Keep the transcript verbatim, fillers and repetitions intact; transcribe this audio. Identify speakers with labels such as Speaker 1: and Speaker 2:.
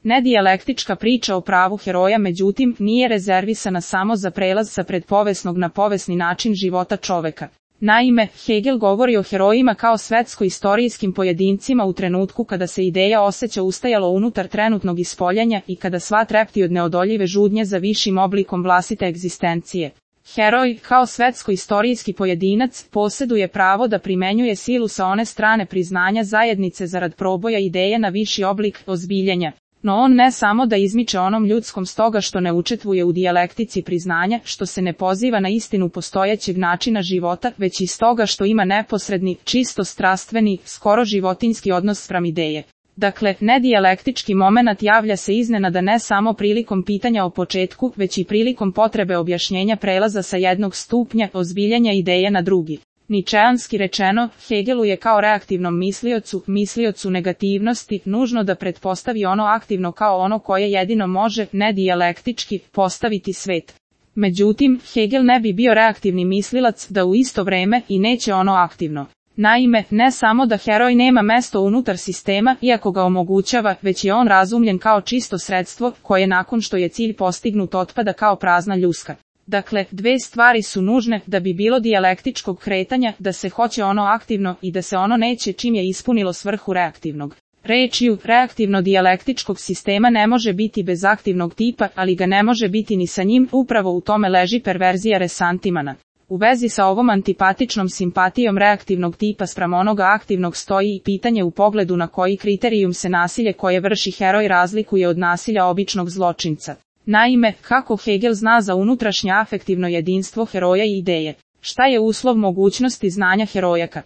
Speaker 1: Nedijalektička priča o pravu heroja međutim nije rezervisana samo za prelaz sa predpovesnog na povesni način života čoveka. Naime, Hegel govori o herojima kao svetsko-istorijskim pojedincima u trenutku kada se ideja osjeća ustajalo unutar trenutnog ispoljanja i kada sva trepti od neodoljive žudnje za višim oblikom vlastite egzistencije. Heroj, kao svetsko-istorijski pojedinac, posjeduje pravo da primenjuje silu sa one strane priznanja zajednice zarad proboja ideje na viši oblik ozbiljenja. No on ne samo da izmiče onom ljudskom stoga što ne učestvuje u dijalektici priznanja, što se ne poziva na istinu postojećeg načina života, već i stoga što ima neposredni, čisto strastveni, skoro životinjski odnos spram ideje. Dakle, nedijalektički momenat javlja se iznenada ne samo prilikom pitanja o početku, već i prilikom potrebe objašnjenja prelaza sa jednog stupnja ozbiljenja ideje na drugi. Ničeanski rečeno, Hegelu je kao reaktivnom misliocu, misliocu negativnosti, nužno da pretpostavi ono aktivno kao ono koje jedino može, nedijalektički, postaviti svet. Međutim, Hegel ne bi bio reaktivni mislilac da u isto vreme i neće ono aktivno. Naime, ne samo da heroj nema mesto unutar sistema, iako ga omogućava, već je on razumljen kao čisto sredstvo, koje nakon što je cilj postignut otpada kao prazna ljuska. Dakle, dve stvari su nužne da bi bilo dijalektičkog kretanja, da se hoće ono aktivno i da se ono neće čim je ispunilo svrhu reaktivnog. Rečju, reaktivno-dijalektičkog sistema ne može biti bez aktivnog tipa, ali ga ne može biti ni sa njim, upravo u tome leži perverzija resantimana. U vezi sa ovom antipatičnom simpatijom reaktivnog tipa spram onoga aktivnog stoji i pitanje u pogledu na koji kriterijum se nasilje koje vrši heroj razlikuje od nasilja običnog zločinca. Naime, kako Hegel zna za unutrašnje afektivno jedinstvo heroja i ideje? Šta je uslov mogućnosti znanja herojaka?